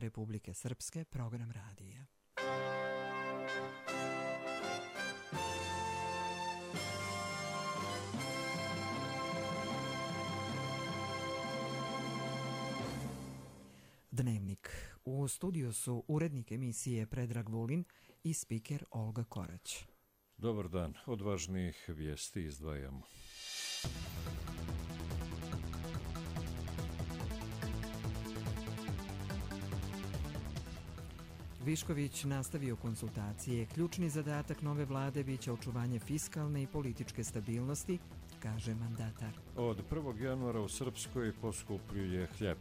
Republike Srpske, program radija. Dnevnik. U studiju su urednik emisije Predrag Vulin i spiker Olga Korać. Dobar dan. Od važnijih vijesti izdvajamo. Višković nastavio konsultacije. Ključni zadatak nove vlade biće očuvanje fiskalne i političke stabilnosti, kaže mandatar. Od 1. januara u Srpskoj poskupljuje hljeb.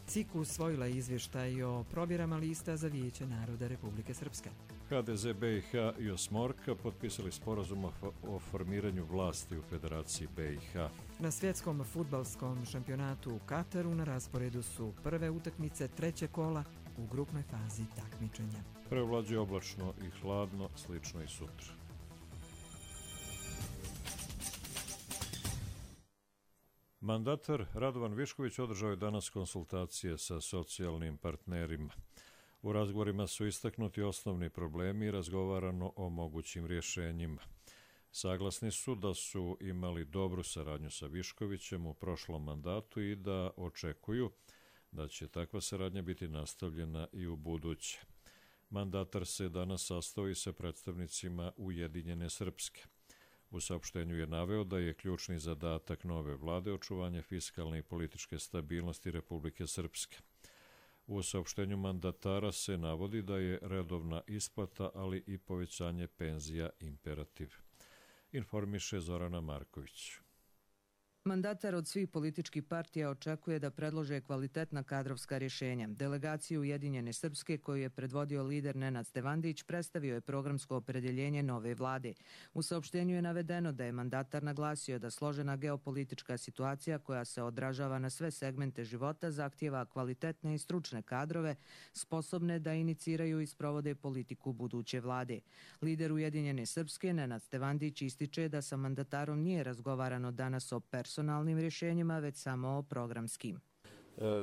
CIK usvojila izvještaj o provjerama lista za Vijeće naroda Republike Srpske. HDZ BiH i Osmorka potpisali sporazum o formiranju vlasti u Federaciji BiH. Na svjetskom fudbalskom šampionatu u Kataru na rasporedu su prve utakmice trećeg kola u grupnoj fazi takmičenja. Prevlađuje oblačno i hladno, slično i sutra. Mandatar Radovan Višković održao je danas konsultacije sa socijalnim partnerima. U razgovorima su istaknuti osnovni problemi i razgovarano o mogućim rješenjima. Saglasni su da su imali dobru saradnju sa Viškovićem u prošlom mandatu i da očekuju da će takva saradnja biti nastavljena i u buduće. Mandatar se danas sastao i sa predstavnicima Ujedinjene Srpske. U saopštenju je naveo da je ključni zadatak nove vlade očuvanje fiskalne i političke stabilnosti Republike Srpske. U saopštenju mandatara se navodi da je redovna isplata, ali i povećanje penzija imperativ. Informiše Zorana Marković. Mandatar od svih političkih partija očekuje da predlože kvalitetna kadrovska rješenja. Delegaciju Ujedinjene Srpske, koju je predvodio lider Nenad Stevandić, predstavio je programsko opredjeljenje nove vlade. U saopštenju je navedeno da je mandatar naglasio da složena geopolitička situacija koja se odražava na sve segmente života zahtijeva kvalitetne i stručne kadrove sposobne da iniciraju i sprovode politiku buduće vlade. Lider Ujedinjene Srpske, Nenad Stevandić, ističe da sa mandatarom nije razgovarano danas o personalnim rješenjima, već samo o programskim.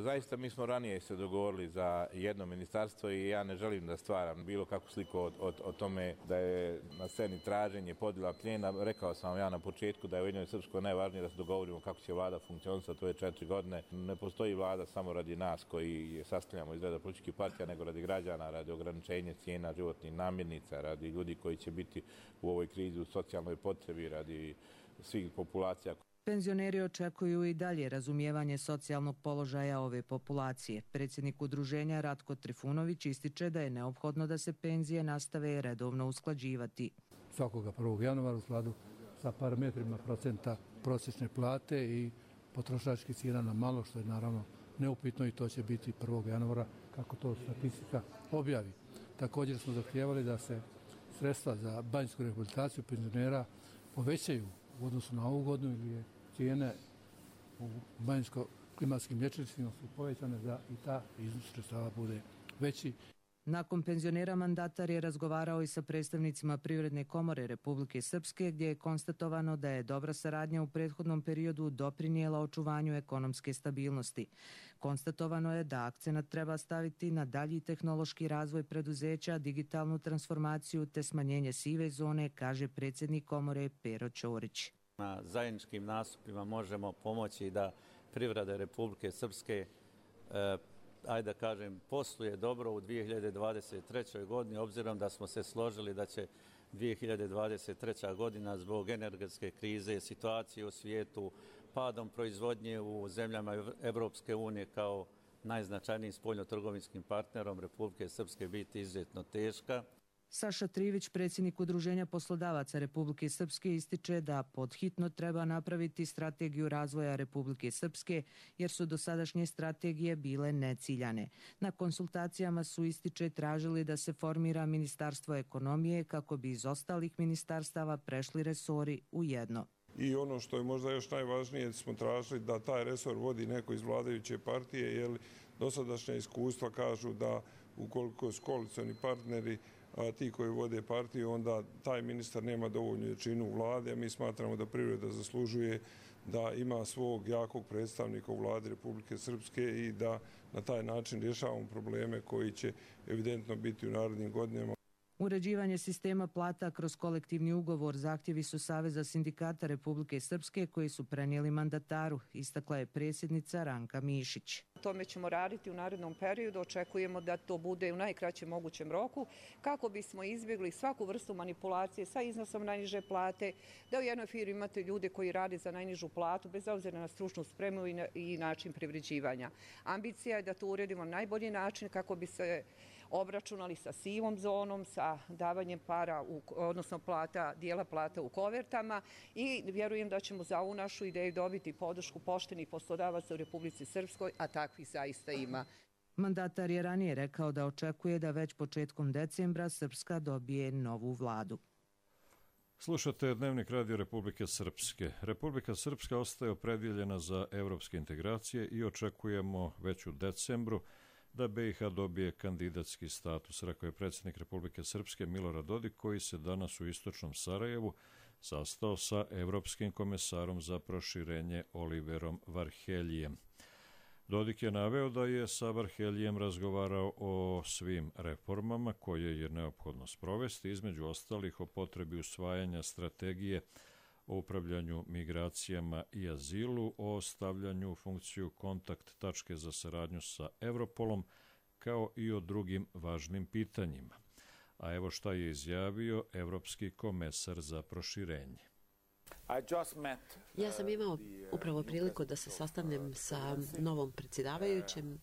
Zaista mi smo ranije se dogovorili za jedno ministarstvo i ja ne želim da stvaram bilo kakvu sliku o tome da je na sceni traženje, podjela plijena. Rekao sam vam ja na početku da je u Ujedinjenoj Srpskoj najvažnije da se dogovorimo kako će vlada funkcionisati, to je 4 godine. Ne postoji vlada samo radi nas koji je sastavljamo iz reda političkih partija, nego radi građana, radi ograničenja cijena životnih namirnica, radi ljudi koji će biti u ovoj krizi u socijalnoj potrebi, radi svih populacija. Penzioneri očekuju i dalje razumijevanje socijalnog položaja ove populacije. Predsjednik udruženja Ratko Trifunović ističe da je neophodno da se penzije nastave redovno usklađivati. Svakoga 1. januara u skladu sa parametrima procenta prosječne plate i potrošačkih cijena na malo, što je naravno neupitno i to će biti 1. januara kako to statistika objavi. Također smo zahtijevali da se sredstva za banjsku rehabilitaciju penzionera povećaju u odnosu na ovu godinu, ili je cijene u banjsko-klimatskim liječnicima su povećane da i ta iznos sredstava bude veći. Nakon penzionera mandatar je razgovarao i sa predstavnicima Privredne komore Republike Srpske, gdje je konstatovano da je dobra saradnja u prethodnom periodu doprinijela očuvanju ekonomske stabilnosti. Konstatovano je da akcenat treba staviti na dalji tehnološki razvoj preduzeća, digitalnu transformaciju te smanjenje sive zone, kaže predsjednik komore Pero Ćorić. Na zajedničkim nastupima možemo pomoći da privreda Republike Srpske ajde da kažem, posluje dobro u 2023. godini, obzirom da smo se složili da će 2023. godina zbog energetske krize, situacije u svijetu, padom proizvodnje u zemljama Evropske unije kao najznačajnijim spoljnotrgovinskim partnerom Republike Srpske biti izuzetno teška. Saša Trivić, predsjednik Udruženja poslodavaca Republike Srpske, ističe da podhitno treba napraviti strategiju razvoja Republike Srpske, jer su dosadašnje strategije bile neciljane. Na konsultacijama su, ističe, tražili da se formira Ministarstvo ekonomije kako bi iz ostalih ministarstava prešli resori u jedno. I ono što je možda još najvažnije, smo tražili da taj resor vodi neko iz vladajuće partije, jer dosadašnja iskustva kažu da ukoliko su koalicioni partneri ti koji vode partiju, onda taj ministar nema dovoljnu jačinu u vlade, a mi smatramo da privreda zaslužuje da ima svog jakog predstavnika u vladi Republike Srpske i da na taj način rješavamo probleme koji će evidentno biti u narednim godinama. Uređivanje sistema plata kroz kolektivni ugovor zahtjevi su Saveza sindikata Republike Srpske koji su prenijeli mandataru, istakla je predsjednica Ranka Mišić. Tome ćemo raditi u narednom periodu, očekujemo da to bude u najkraćem mogućem roku kako bismo izbjegli svaku vrstu manipulacije sa iznosom najniže plate, da u jednoj firmi imate ljude koji rade za najnižu platu bez obzira na stručnu spremu i način privređivanja. Ambicija je da to uredimo na najbolji način kako bi se obračunali sa sivom zonom, sa davanjem para, odnosno dijela plata u kovertama i vjerujem da ćemo za ovu našu ideju dobiti podršku poštenih poslodavaca u Republici Srpskoj, a takvih zaista ima. Mandatar je ranije rekao da očekuje da već početkom decembra Srpska dobije novu vladu. Slušate Dnevnik Radio Republike Srpske. Republika Srpska ostaje opredjeljena za evropske integracije i očekujemo već u decembru da BiH dobije kandidatski status, rekao je predsjednik Republike Srpske Milorad Dodik, koji se danas u istočnom Sarajevu sastao sa evropskim komesarom za proširenje Oliverom Varheljijem. Dodik je naveo da je sa Varheljijem razgovarao o svim reformama koje je neophodno sprovesti, između ostalih o potrebi usvajanja strategije o upravljanju migracijama i azilu, o stavljanju u funkciju kontakt tačke za saradnju sa Europolom, kao i o drugim važnim pitanjima. A evo šta je izjavio evropski komesar za proširenje. Ja sam imao upravo priliku da se sastavnem sa novom predsjedavajućem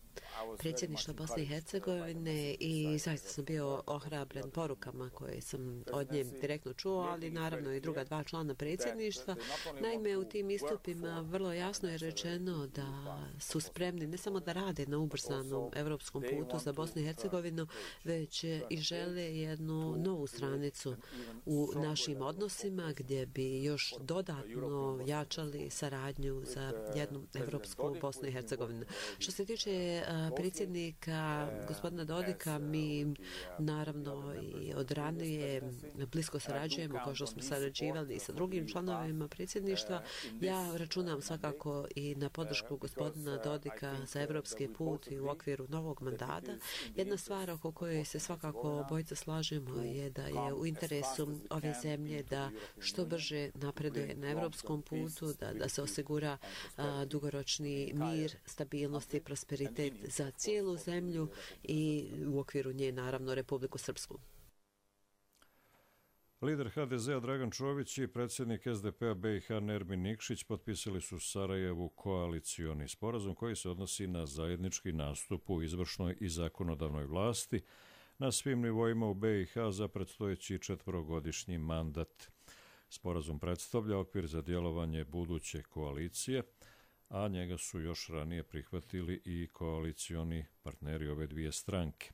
predsjedništva Bosne i Hercegovine i zaista sam bio ohrabren porukama koje sam od nje direktno čuo, ali naravno i druga dva člana predsjedništva. Naime, u tim istupima vrlo jasno je rečeno da su spremni ne samo da rade na ubrzanom evropskom putu za Bosnu i Hercegovinu, već i žele jednu novu stranicu u našim odnosima gdje bi još dodatno jačali saradnju za jednu evropsku Bosnu i Hercegovinu. Što se tiče predsjednika gospodina Dodika, mi naravno i od ranije blisko sarađujemo, kao što smo sarađivali i sa drugim članovima predsjedništva. Ja računam svakako i na podršku gospodina Dodika za evropski put i u okviru novog mandata. Jedna stvar oko koje se svakako obojica slažemo je da je u interesu ove zemlje da što brže napreduje na evropskom putu, da se osigura dugoročni mir, stabilnost i prosperitet za cijelu zemlju i u okviru nje naravno Republiku Srpsku. Lider HDZ-a Dragan Čović i predsjednik SDP-a BiH Nermin Nikšić potpisali su u Sarajevu koalicioni sporazum koji se odnosi na zajednički nastup u izvršnoj i zakonodavnoj vlasti na svim nivoima u BiH za predstojeći 4-godišnji mandat. Sporazum predstavlja okvir za djelovanje buduće koalicije, a njega su još ranije prihvatili i koalicioni partneri ove dvije stranke.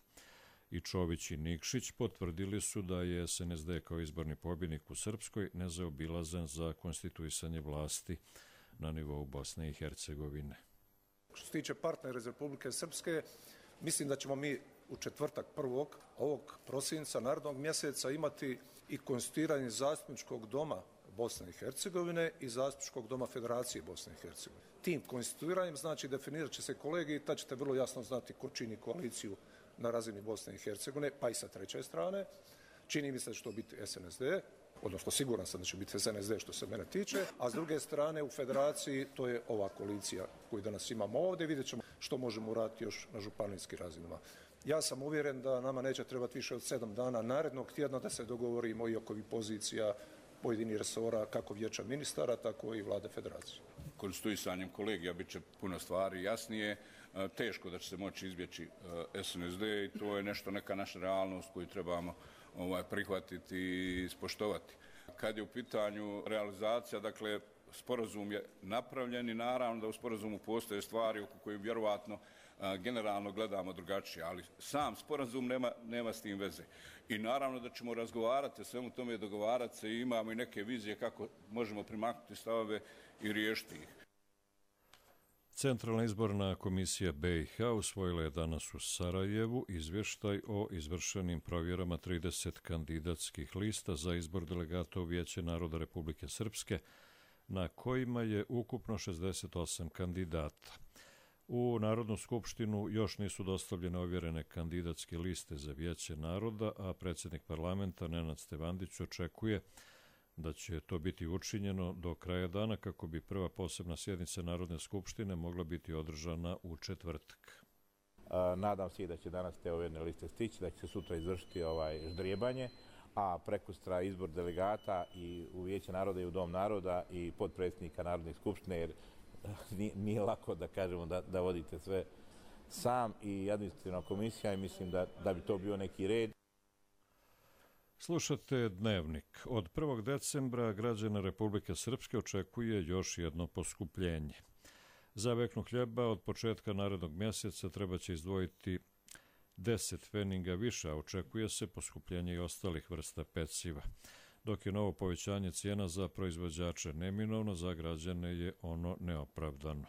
I Čović i Nikšić potvrdili su da je SNSD kao izborni pobjednik u Srpskoj nezaobilazan za konstituisanje vlasti na nivou Bosne i Hercegovine. Što se tiče partnera iz Republike Srpske, mislim da ćemo mi u četvrtak 1. ovog prosinca narednog mjeseca imati i konstituiranje zastupničkog doma Bosne i Hercegovine i zastupničkog doma Federacije Bosne i Hercegovine. Tim konstituiranjem znači definirat će se kolegiji, tad ćete vrlo jasno znati ko čini koaliciju na razini Bosne i Hercegovine, pa i sa treće strane. Čini mi se da će to biti SNSD, odnosno siguran sam da će biti SNSD što se mene tiče, a s druge strane u Federaciji to je ova koalicija koju danas imamo ovdje. Vidjet ćemo što možemo uraditi još na županijskim razinama. Ja sam uvjeren da nama neće trebati više od 7 dana narednog tjedna da se dogovorimo i oko pozicija pojedinih resora, kako vijeća ministara, tako i vlade federacije. Konstituisanjem kolegija bit će puno stvari jasnije. Teško da će se moći izbjeći SNSD i to je nešto, neka naša realnost koju trebamo prihvatiti i ispoštovati. Kad je u pitanju realizacija, dakle, sporazum je napravljen i naravno da u sporazumu postoje stvari oko koje vjerovatno generalno gledamo drugačije, ali sam sporazum nema s tim veze. I naravno da ćemo razgovarati o svemu tome i dogovarati se i imamo i neke vizije kako možemo primaknuti stavove i riješiti ih. Centralna izborna komisija BiH usvojila je danas u Sarajevu izvještaj o izvršenim provjerama 30 kandidatskih lista za izbor delegata u Vijeće naroda Republike Srpske na kojima je ukupno 68 kandidata. U Narodnu skupštinu još nisu dostavljene ovjerene kandidatske liste za Vijeće naroda, a predsjednik parlamenta Nenad Stevandić očekuje da će to biti učinjeno do kraja dana kako bi prva posebna sjednica Narodne skupštine mogla biti održana u četvrtak. Nadam se i da će danas te ovjerne liste stići, da će se sutra izvršiti ždrijebanje, a prekustra izbor delegata i u Vijeće naroda i u Dom naroda i podpredsjednika Narodne skupštine, jer nije lako da kažemo da vodite sve sam i administrativna komisija i mislim da bi to bio neki red. Slušate Dnevnik. Od 1. decembra građana Republike Srpske očekuje još jedno poskupljenje. Za veknu hljeba od početka narednog mjeseca treba će izdvojiti 10 pfeninga više, a očekuje se poskupljenje i ostalih vrsta peciva. Dok je novo povećanje cijena za proizvođače neminovno, za građane je ono neopravdano.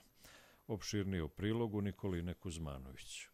Opširnije u prilogu Nikoline Kuzmanović.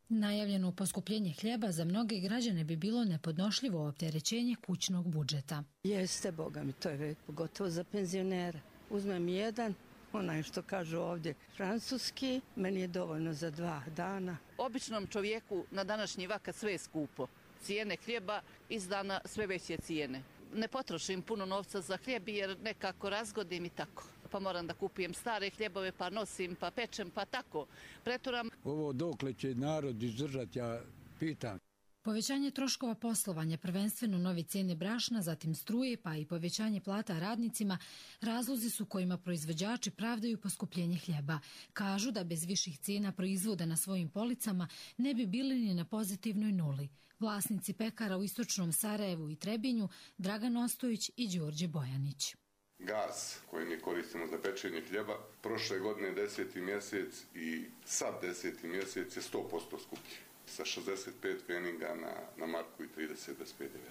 Najavljeno poskupljenje hljeba za mnoge građane bi bilo nepodnošljivo opterećenje kućnog budžeta. Jeste, boga mi, to je pogotovo za penzionere. Uzmem jedan, onaj što kažu ovdje francuski, meni je dovoljno za 2 dana. Običnom čovjeku na današnji vakat sve je skupo. Cijene hljeba iz dana sve veće cijene. Ne potrošim puno novca za hljeb jer nekako razgodim i tako. Pa moram da kupujem stare hljebove, pa nosim, pa pečem, pa tako. Preturam. Ovo dokle će narod izdržati, ja pitam. Povećanje troškova poslovanja, prvenstveno nove cijene brašna, zatim struje, pa i povećanje plata radnicima, razlozi su kojima proizvođači pravdaju poskupljenje hljeba. Kažu da bez viših cijena proizvoda na svojim policama ne bi bili ni na pozitivnoj nuli. Vlasnici pekara u istočnom Sarajevu i Trebinju, Dragan Ostojić i Đorđe Bojanić. Gas koji mi koristimo za pečenje hljeba, prošle godine 10. mjesec i sad 10. mjesec je 100% skuplji. Sa 65 pfeninga na marku i 30 bez PDV.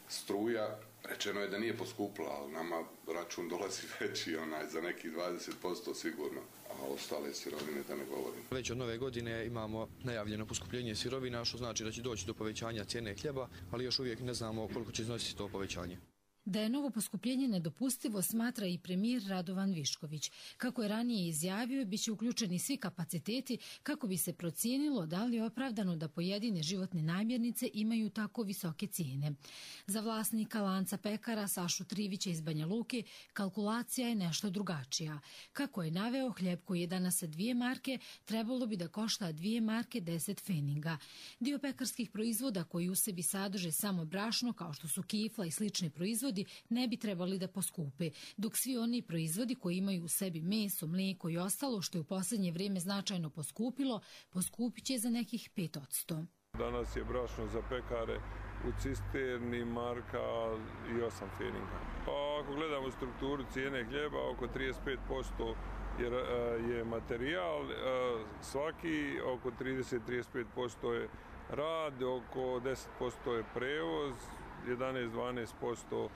Struja, rečeno je da nije poskupla, ali nama račun dolazi veći, za nekih 20% sigurno, a ostale sirovine da ne govorim. Već od nove godine imamo najavljeno poskupljenje sirovina, što znači da će doći do povećanja cijene hljeba, ali još uvijek ne znamo koliko će iznositi to povećanje. Da je novo poskupljenje nedopustivo smatra i premijer Radovan Višković. Kako je ranije izjavio, bit će uključeni svi kapaciteti kako bi se procijenilo da li je opravdano da pojedine životne namirnice imaju tako visoke cijene. Za vlasnika lanca pekara Sašu Trivića iz Banja Luke kalkulacija je nešto drugačija. Kako je naveo, hljeb koji je danas sa 2 marke trebalo bi da košta 2 marke 10 pfeninga. Dio pekarskih proizvoda koji u sebi sadrže samo brašno, kao što su kifla i slični proizvodi, ne bi trebali da poskupe, dok svi oni proizvodi koji imaju u sebi meso, mlijeko i ostalo što je u posljednje vrijeme značajno poskupilo, poskupit će za nekih 5%. Danas je brašno za pekare u cisterni marka i 8 pfeninga. Pa ako gledamo strukturu cijene hljeba, oko 35% je materijal, svaki oko 30-35% je rad, oko 10% je prevoz, 11-12%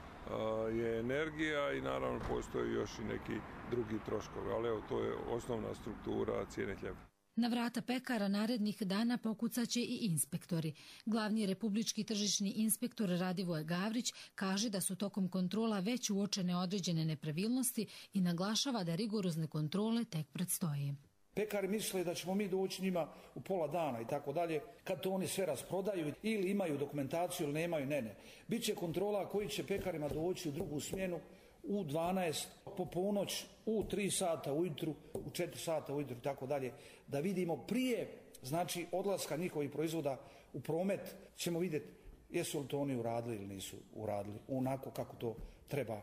je energija i naravno postoji još i neki drugi troškovi, ali evo to je osnovna struktura cijene hljeba. Na vrata pekara narednih dana pokucaće i inspektori. Glavni republički tržišni inspektor Radivoje Gavrić kaže da su tokom kontrola već uočene određene nepravilnosti i naglašava da rigorozne kontrole tek predstoje. Pekari misle da ćemo mi doći njima u pola dana i tako dalje, kad to oni sve rasprodaju ili imaju dokumentaciju ili nemaju, ne. Biće kontrola koji će pekarima doći u drugu smjenu u 12, po ponoć, u 3 sata ujutru, u 4 sata ujutru i tako dalje, da vidimo prije, znači, odlaska njihovih proizvoda u promet, ćemo vidjeti jesu li to oni uradili ili nisu uradili, onako kako to treba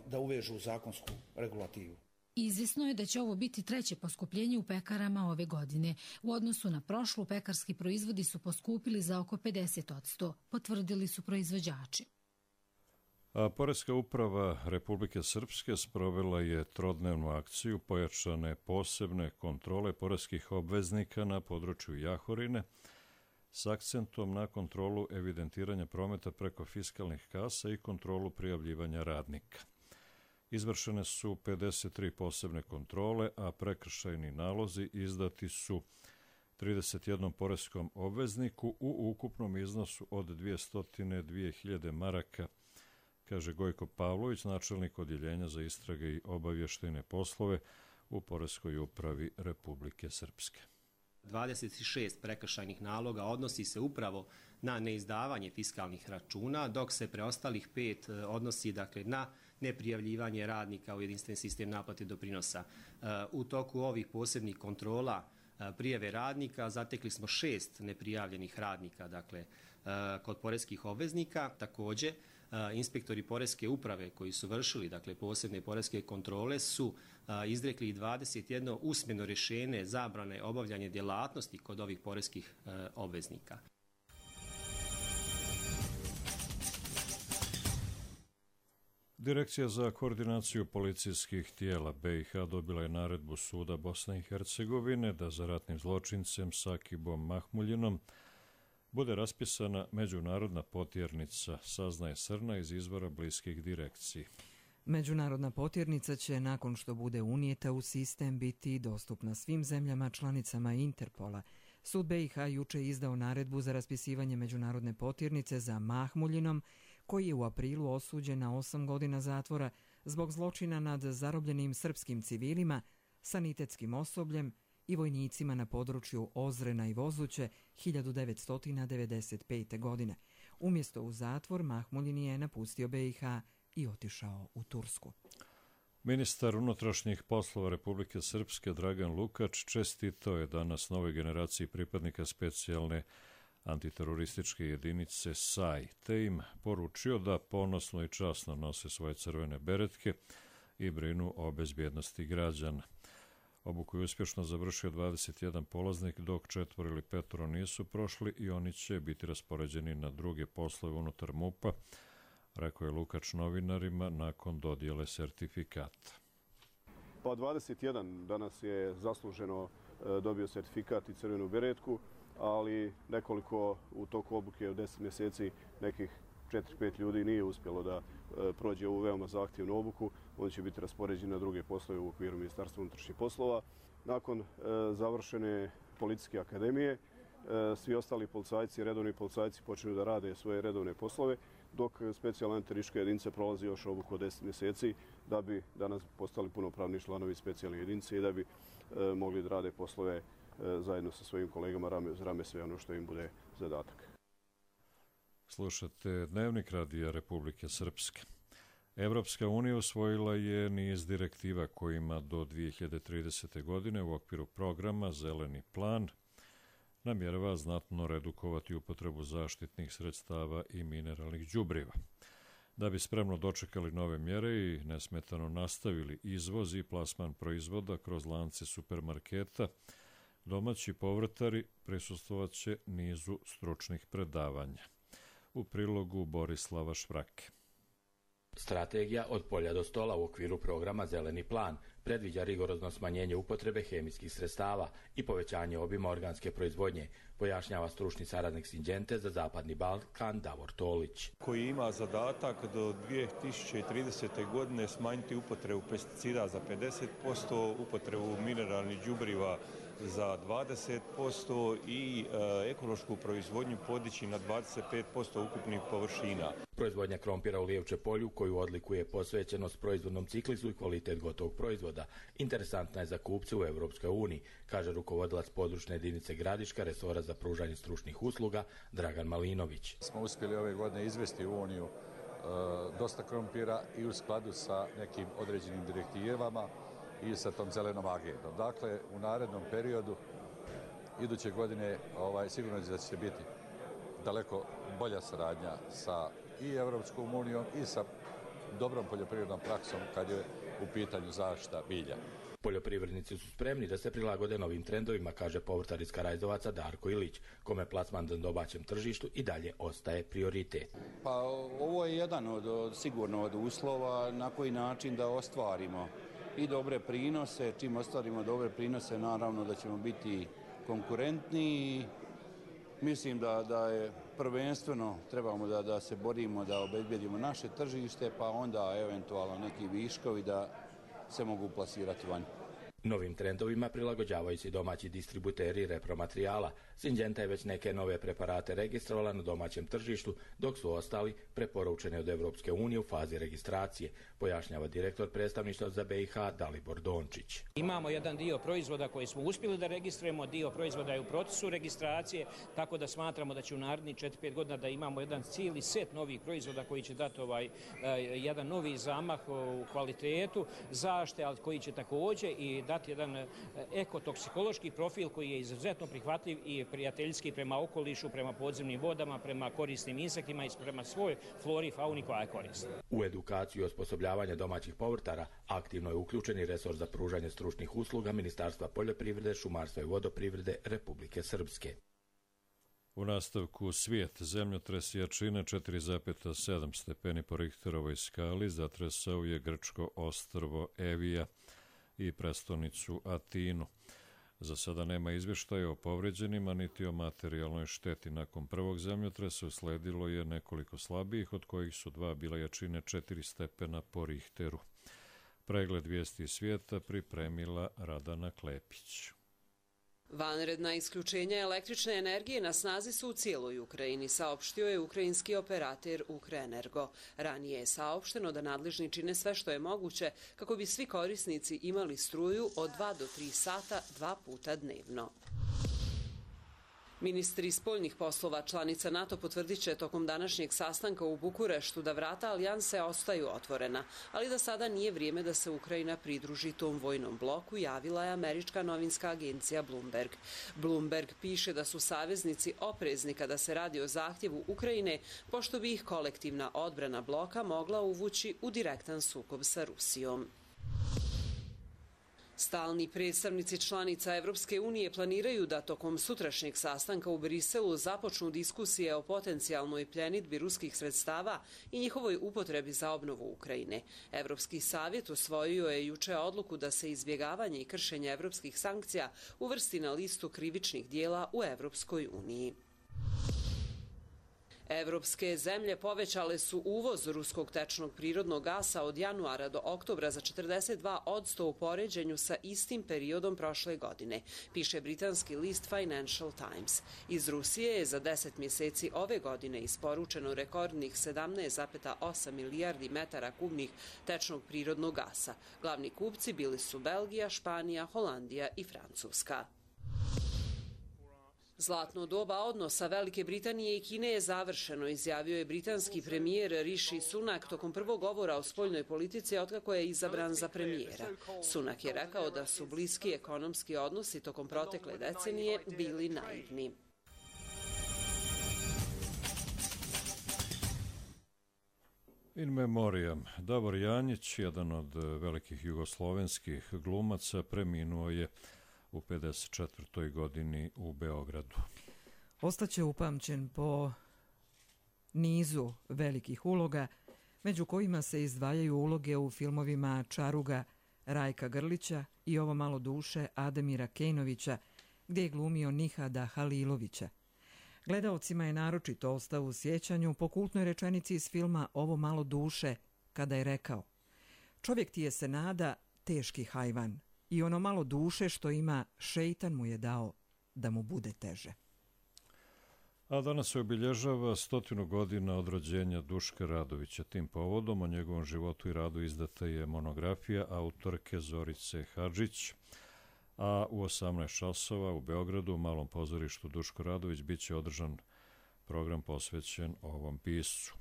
da uvežu u zakonsku regulativu. Izvjesno je da će ovo biti 3. poskupljenje u pekarama ove godine. U odnosu na prošlu, pekarski proizvodi su poskupili za oko 50%, potvrdili su proizvođači. A Poreska uprava Republike Srpske sprovela je trodnevnu akciju pojačane posebne kontrole poreskih obveznika na području Jahorine s akcentom na kontrolu evidentiranja prometa preko fiskalnih kasa i kontrolu prijavljivanja radnika. Izvršene su 53 posebne kontrole, a prekršajni nalozi izdati su 31 poreskom obvezniku u ukupnom iznosu od 202.000 maraka, kaže Gojko Pavlović, načelnik odjeljenja za istrage i obavještajne poslove u Poreskoj upravi Republike Srpske. 26 prekršajnih naloga odnosi se upravo na neizdavanje fiskalnih računa, dok se preostalih 5 odnosi dakle na neprijavljivanje radnika u jedinstveni sistem naplate doprinosa. U toku ovih posebnih kontrola prijave radnika zatekli smo 6 neprijavljenih radnika, dakle kod poreskih obveznika. Također, inspektori poreske uprave koji su vršili dakle posebne poreske kontrole su izrekli 21 usmeno rješenje zabrane obavljanja djelatnosti kod ovih poreskih obveznika. Direkcija za koordinaciju policijskih tijela BiH dobila je naredbu suda Bosne i Hercegovine da za ratnim zločincem Sakibom Mahmuljinom bude raspisana međunarodna potjernica, saznaje Srna iz izvora bliskih direkciji. Međunarodna potjernica će, nakon što bude unijeta u sistem, biti dostupna svim zemljama članicama Interpola. Sud BiH juče izdao naredbu za raspisivanje međunarodne potjernice za Mahmuljinom, koji je u aprilu osuđen na 8 godina zatvora zbog zločina nad zarobljenim srpskim civilima, sanitetskim osobljem i vojnicima na području Ozrena i Vozuće 1995. godine. Umjesto u zatvor, Mahmuljin je napustio BiH i otišao u Tursku. Ministar unutrašnjih poslova Republike Srpske Dragan Lukač čestitao je danas novoj generaciji pripadnika specijalne antiterorističke jedinice SAI, te im poručio da ponosno i časno nose svoje crvene beretke i brinu o bezbjednosti građana. Obuku je uspješno završio 21 polaznik, dok 4 ili 5 nisu prošli i oni će biti raspoređeni na druge poslove unutar MUP-a, rekao je Lukač novinarima nakon dodjele sertifikata. Pa 21 danas je zasluženo dobio sertifikat i crvenu beretku, ali nekoliko u toku obuke od 10 mjeseci nekih 4-5 ljudi nije uspjelo da prođe ovu veoma zahtjevnu obuku. Oni će biti raspoređeni na druge poslove u okviru Ministarstva unutrašnjih poslova. Nakon završene policijske akademije, svi ostali policajci, redovni policajci počinju da rade svoje redovne poslove, dok specijalna antiteroristička jedinica prolazi još obuku od 10 mjeseci da bi danas postali punopravni članovi specijalne jedinice i da bi mogli da rade poslove zajedno sa svojim kolegama rame uz rame, sve ono što im bude zadatak. Slušate Dnevnik Radija Republike Srpske. Evropska unija usvojila je niz direktiva kojima do 2030. godine u okviru programa Zeleni plan namjerava znatno redukovati upotrebu zaštitnih sredstava i mineralnih đubriva. Da bi spremno dočekali nove mjere i nesmetano nastavili izvoz i plasman proizvoda kroz lance supermarketa, domaći povrtari prisustvovat će nizu stručnih predavanja. U prilogu Borislava Švrake. Strategija od polja do stola u okviru programa Zeleni plan predviđa rigorozno smanjenje upotrebe hemijskih sredstava i povećanje obima organske proizvodnje, pojašnjava stručni saradnik Sinđente za Zapadni Balkan Davor Tolić. Koji ima zadatak do 2030. godine smanjiti upotrebu pesticida za 50%, upotrebu mineralnih đubriva za 20% i ekološku proizvodnju podići na 25% ukupnih površina. Proizvodnja krompira u Lijevče polju, koju odlikuje posvećenost proizvodnom ciklisu i kvalitet gotovog proizvoda, interesantna je za kupce u Evropskoj uniji, kaže rukovodilac područne jedinice Gradiška, resora za pružanje stručnih usluga Dragan Malinović. Smo uspjeli ove godine izvesti u Uniju dosta krompira i u skladu sa nekim određenim direktivama i sa tom zelenom agendom. Dakle, u narednom periodu, iduće godine, sigurno da će biti daleko bolja saradnja sa i Evropskom unijom i sa dobrom poljoprivrednom praksom kad je u pitanju zaštita bilja. Poljoprivrednici su spremni da se prilagode novim trendovima, kaže povrtar iz Karajzovaca Darko Ilić, kome plasman na domaćem tržištu i dalje ostaje prioritet. Pa ovo je jedan sigurno od uslova na koji način da ostvarimo i dobre prinose. Čim ostvarimo dobre prinose, naravno da ćemo biti konkurentni. Mislim da je prvenstveno trebamo da se borimo da obezbedimo naše tržište, pa onda eventualno neki viškovi da se mogu plasirati van. Novim trendovima prilagođavaju se domaći distributeri repromaterijala. Syngenta je već neke nove preparate registrovala na domaćem tržištu, dok su ostali preporučeni od Evropske unije u fazi registracije, pojašnjava direktor predstavništva za BiH Dalibor Dončić. Imamo jedan dio proizvoda koji smo uspjeli da registrujemo, dio proizvoda je u procesu registracije, tako da smatramo da će u narednih 4-5 godina da imamo jedan cijeli set novih proizvoda koji će dati jedan novi zamah u kvalitetu zaštite, ali koji će također i dati jedan ekotoksikološki profil koji je izuzetno prihvatljiv i prijateljski prema okolišu, prema podzemnim vodama, prema korisnim insektima i prema svoj flori i fauni koja je korisna. U edukaciju i osposobljavanje domaćih povrtara aktivno je uključeni resor za pružanje stručnih usluga Ministarstva poljoprivrede, šumarstva i vodoprivrede Republike Srpske. U nastavku svijet, zemljotres jačine 4,7 stepeni po Richterovoj skali zatresao je grčko ostrvo Evija i prestonicu Atinu. Za sada nema izvještaja o povređenima niti o materijalnoj šteti. Nakon prvog zemljotresa usledilo je nekoliko slabijih, od kojih su 2 bila jačine 4 stepena po Richteru. Pregled vijesti svijeta pripremila Radana Klepić. Vanredna isključenja električne energije na snazi su u cijeloj Ukrajini, saopštio je ukrajinski operater Ukrenergo. Ranije je saopšteno da nadležni čine sve što je moguće kako bi svi korisnici imali struju od 2 do 3 sata 2 puta dnevno. Ministri spoljnih poslova članica NATO potvrdit će tokom današnjeg sastanka u Bukureštu da vrata alijanse ostaju otvorena, ali da sada nije vrijeme da se Ukrajina pridruži tom vojnom bloku, javila je američka novinska agencija Bloomberg. Bloomberg piše da su saveznici oprezni kada se radi o zahtjevu Ukrajine, pošto bi ih kolektivna odbrana bloka mogla uvući u direktan sukob sa Rusijom. Stalni predstavnici članica Evropske unije planiraju da tokom sutrašnjeg sastanka u Briselu započnu diskusije o potencijalnoj pljenidbi ruskih sredstava i njihovoj upotrebi za obnovu Ukrajine. Evropski savjet usvojio je juče odluku da se izbjegavanje i kršenje evropskih sankcija uvrsti na listu krivičnih dijela u Evropskoj uniji. Evropske zemlje povećale su uvoz ruskog tečnog prirodnog gasa od januara do oktobra za 42% u poređenju sa istim periodom prošle godine, piše britanski list Financial Times. Iz Rusije je za 10 mjeseci ove godine isporučeno rekordnih 17,8 milijardi metara kubnih tečnog prirodnog gasa. Glavni kupci bili su Belgija, Španija, Holandija i Francuska. Zlatno doba odnosa Velike Britanije i Kine je završeno, izjavio je britanski premijer Rishi Sunak tokom prvog govora o spoljnoj politici otkako je izabran za premijera. Sunak je rekao da su bliski ekonomski odnosi tokom protekle decenije bili naivni. In memoriam, Davor Janjić, jedan od velikih jugoslovenskih glumaca, preminuo je u 54. godini u Beogradu. Ostaće upamćen po nizu velikih uloga, među kojima se izdvajaju uloge u filmovima Čaruga Rajka Grlića i Ovo malo duše Ademira Kejnovića, gdje je glumio Nihada Halilovića. Gledaocima je naročito ostao u sjećanju po kultnoj rečenici iz filma Ovo malo duše, kada je rekao: čovjek ti je se nada, teški hajvan, i ono malo duše što ima, šeitan mu je dao da mu bude teže. A danas se obilježava 100 godina od rođenja Duška Radovića. Tim povodom o njegovom životu i radu izdata je monografija autorke Zorice Hadžić, a u 18 časova u Beogradu u Malom pozorištu Duško Radović bit će održan program posvećen ovom piscu.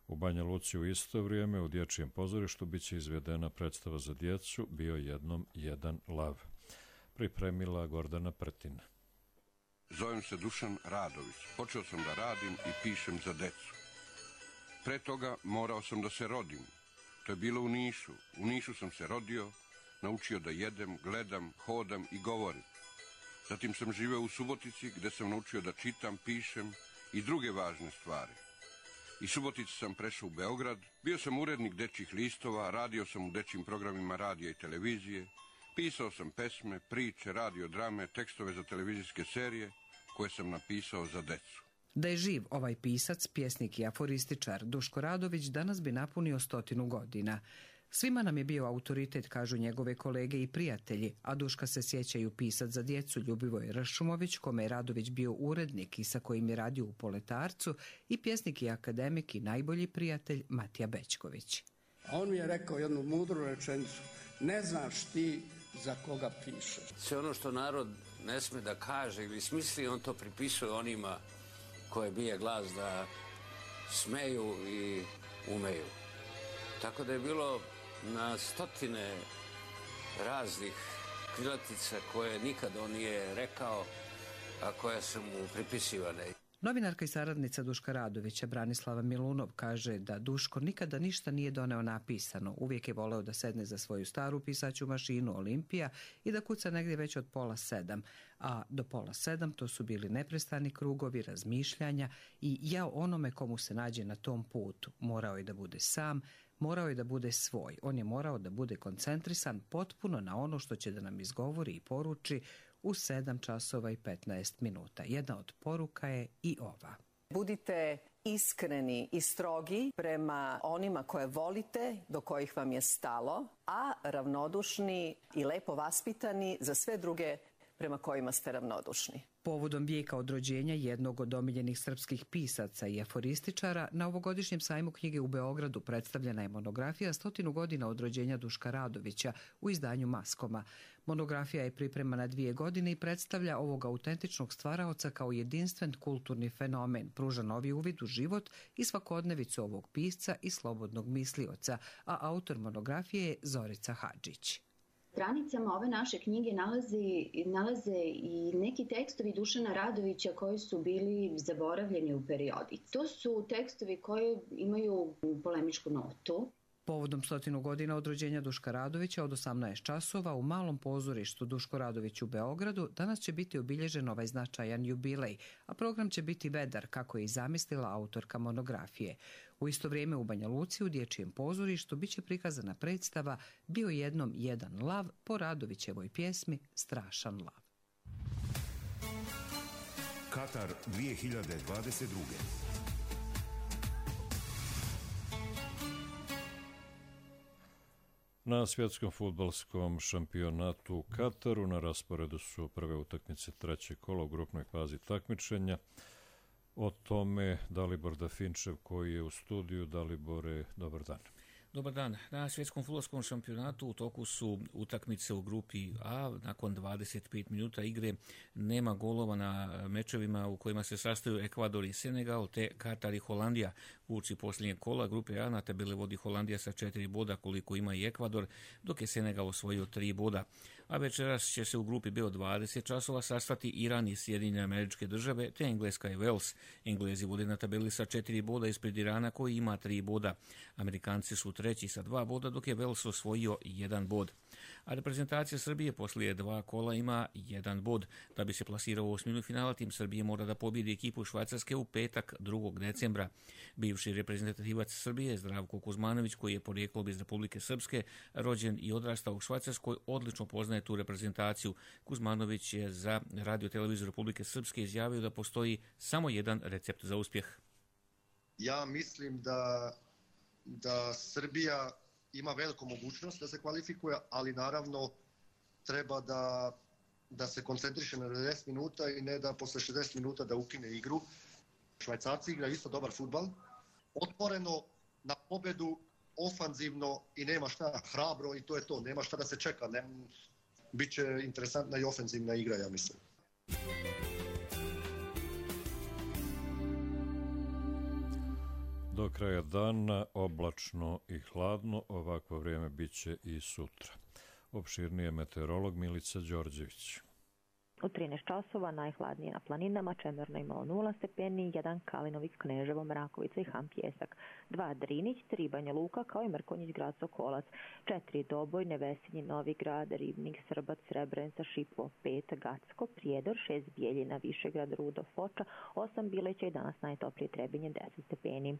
U Banja Luci u isto vrijeme u Dječjem pozorištu bit će izvedena predstava za djecu Bio jednom jedan lav. Pripremila Gordana Prtina. Zovem se Dušan Radović. Počeo sam da radim i pišem za decu. Pre toga morao sam da se rodim. To je bilo u Nišu. U Nišu sam se rodio, naučio da jedem, gledam, hodam i govorim. Zatim sam živeo u Subotici gdje sam naučio da čitam, pišem i druge važne stvari. Iz Subotice sam prešao u Beograd, bio sam urednik dečjih listova, radio sam u dečjim programima radija i televizije, pisao sam pesme, priče, radio drame, tekstove za televizijske serije koje sam napisao za decu. Da je živ ovaj pisac, pjesnik i aforističar Duško Radović danas bi napunio 100 godina. Svima nam je bio autoritet, kažu njegove kolege i prijatelji, a Duška se sjećaju pisac za djecu Ljubivoj Ršumović, kome je Radović bio urednik i sa kojim je radio u Poletarcu, i pjesnik i akademik i najbolji prijatelj Matija Bećković. A on mi je rekao jednu mudru rečenicu: ne znaš ti za koga pišeš. Sve ono što narod ne sme da kaže ili smisli, on to pripisuje onima koje bije glas da smeju i umeju. Tako da je bilo na stotine raznih krilatica koje nikad on nije rekao, a koje su mu pripisivane. Novinarka i saradnica Duška Radovića Branislava Milunov kaže da Duško nikada ništa nije doneo napisano. Uvijek je voleo da sedne za svoju staru pisaću mašinu Olimpija i da kuca negdje već od 6:30, a do 6:30 to su bili neprestani krugovi razmišljanja i jao onome komu se nađe na tom putu. Morao je da bude sam, morao je da bude svoj. On je morao da bude koncentrisan potpuno na ono što će da nam izgovori i poruči u 7:15. Jedna od poruka je i ova. Budite iskreni i strogi prema onima koje volite, do kojih vam je stalo, a ravnodušni i lepo vaspitani za sve druge prema kojima ste ravnodušni. Povodom vijeka od rođenja jednog od omiljenih srpskih pisaca i aforističara, na ovogodišnjem sajmu knjige u Beogradu predstavljena je monografija 100 godina od rođenja Duška Radovića u izdanju Maskoma. Monografija je pripremana 2 godine i predstavlja ovog autentičnog stvaraoca kao jedinstven kulturni fenomen, pruža novi uvid u život i svakodnevicu ovog pisca i slobodnog mislioca, a autor monografije je Zorica Hadžić. Stranicama ove naše knjige nalaze i neki tekstovi Dušana Radovića koji su bili zaboravljeni u periodici. To su tekstovi koji imaju polemičku notu. Povodom 100 godina od rođenja Duška Radovića od 18 časova u malom pozorištu Duško Radović u Beogradu danas će biti obilježen ovaj značajan jubilej, a program će biti vedar, kako je i zamislila autorka monografije. U isto vrijeme u Banja Luci u dječjem pozorištu biće prikazana predstava Bio jednom jedan lav po Radovićevoj pjesmi Strašan lav. Katar 2022. Na svjetskom fudbalskom šampionatu u Kataru na rasporedu su prve utakmice trećeg kola u grupnoj fazi takmičenja. O tome Dalibor Dafinčev koji je u studiju. Dalibore, dobar dan. Dobar dan. Na svjetskom fudbalskom šampionatu u toku su utakmice u grupi A. Nakon 25 minuta igre nema golova na mečevima u kojima se sastaju Ekvador i Senegal, te Katar i Holandija. Uoči posljednjeg kola grupe A na tabeli vodi Holandija sa 4 boda koliko ima i Ekvador, dok je Senegal osvojio 3 boda. A večeras će se u grupi B od 20 časova sastati Iran i Sjedinjene Američke Države, te Engleska i Wales. Englezi vode na tabeli sa 4 boda ispred Irana koji ima 3 boda. Amerikanci su treći sa 2 boda, dok je Wales osvojio 1 bod. A reprezentacija Srbije poslije 2 kola ima 1 bod. Da bi se plasirao u osminu finala, tim Srbije mora da pobjedi ekipu Švajcarske u petak 2. decembra. Bivši reprezentativac Srbije Zdravko Kuzmanović, koji je porijeklom iz Republike Srpske, rođen i odrastao u Švajcarskoj, odlično poznaje tu reprezentaciju. Kuzmanović je za radio televiziju Republike Srpske izjavio da postoji samo jedan recept za uspjeh. Ja mislim da Srbija ima veliku mogućnost da se kvalifikuje, ali naravno treba da se koncentriše na 90 minuta i ne da posle 60 minuta da ukine igru. Švajcarci igraju isto dobar fudbal, otvoreno na pobedu, ofanzivno i nema šta, hrabro i to je to, nema šta da se čeka. Biće interesantna i ofenzivna igra, ja mislim. Do kraja dana oblačno i hladno, ovakvo vrijeme bit će i sutra. Opširnije meteorolog Milica Đorđević. U 13 časova najhladnije na planinama, Čemerno imalo 0 stepeni, 1 Kalinović, Kneževo, Mrakovica i Han Pjesak, 2 Drinić, 3 Banja Luka kao i Mrkonjić, Grad Sokolac, 4 Doboj, Nevesinji, Novi Grad, Ribnik, Srbac, Srebrenica, Šipovo, 5 Gacko, Prijedor, 6 Bijeljina, Višegrad, Rudo, Foča, 8 Bileća i danas najtoplije Trebinje 10 stepeni.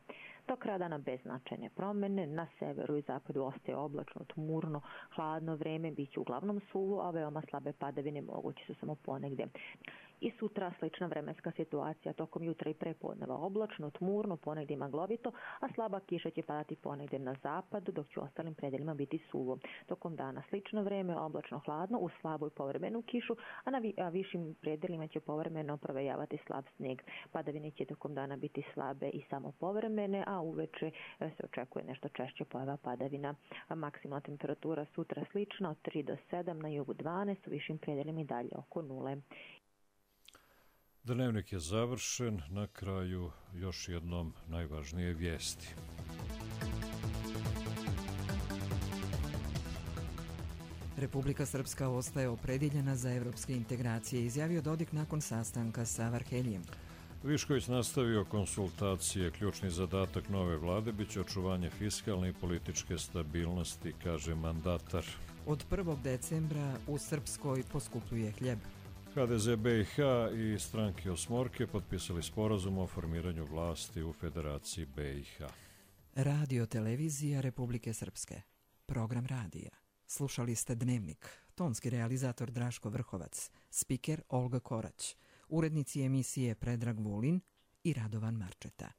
Do kraja dana bez značajne promjene, na severu i zapadu ostaje oblačno, tmurno, hladno vreme, bit će uglavnom suvo, a veoma slabe padavine moguće su samo ponegdje. I sutra slična vremenska situacija tokom jutra i prepodneva oblačno, tmurno, ponegdje maglovito, a slaba kiša će padati ponegdje na zapadu, dok će u ostalim predelima biti suvo. Tokom dana slično vreme, oblačno hladno, uz slabu i povremenu kišu, a na višim predelima će povremeno provejavati slab snijeg. Padavine će tokom dana biti slabe i samo povremene, a uveče se očekuje nešto češće pojava padavina. Maksimalna temperatura sutra slična od 3 do 7, na jugu 12, u višim predelima i dalje oko 0. Dnevnik je završen, na kraju još jednom najvažnije vijesti. Republika Srpska ostaje opredjeljena za evropske integracije, izjavio Dodik nakon sastanka sa Varheljijem. Višković nastavio konsultacije. Ključni zadatak nove vlade biće očuvanje fiskalne i političke stabilnosti, kaže mandatar. Od 1. decembra u Srpskoj poskupljuje hljeb. HDZ BiH i stranke Osmorke potpisali sporazum o formiranju vlasti u Federaciji BiH. Radio televizija Republike Srpske. Program radija. Slušali ste Dnevnik. Tonski realizator Draško Vrhovac. Spiker Olga Korać. Urednici emisije Predrag Vulin i Radovan Marčeta.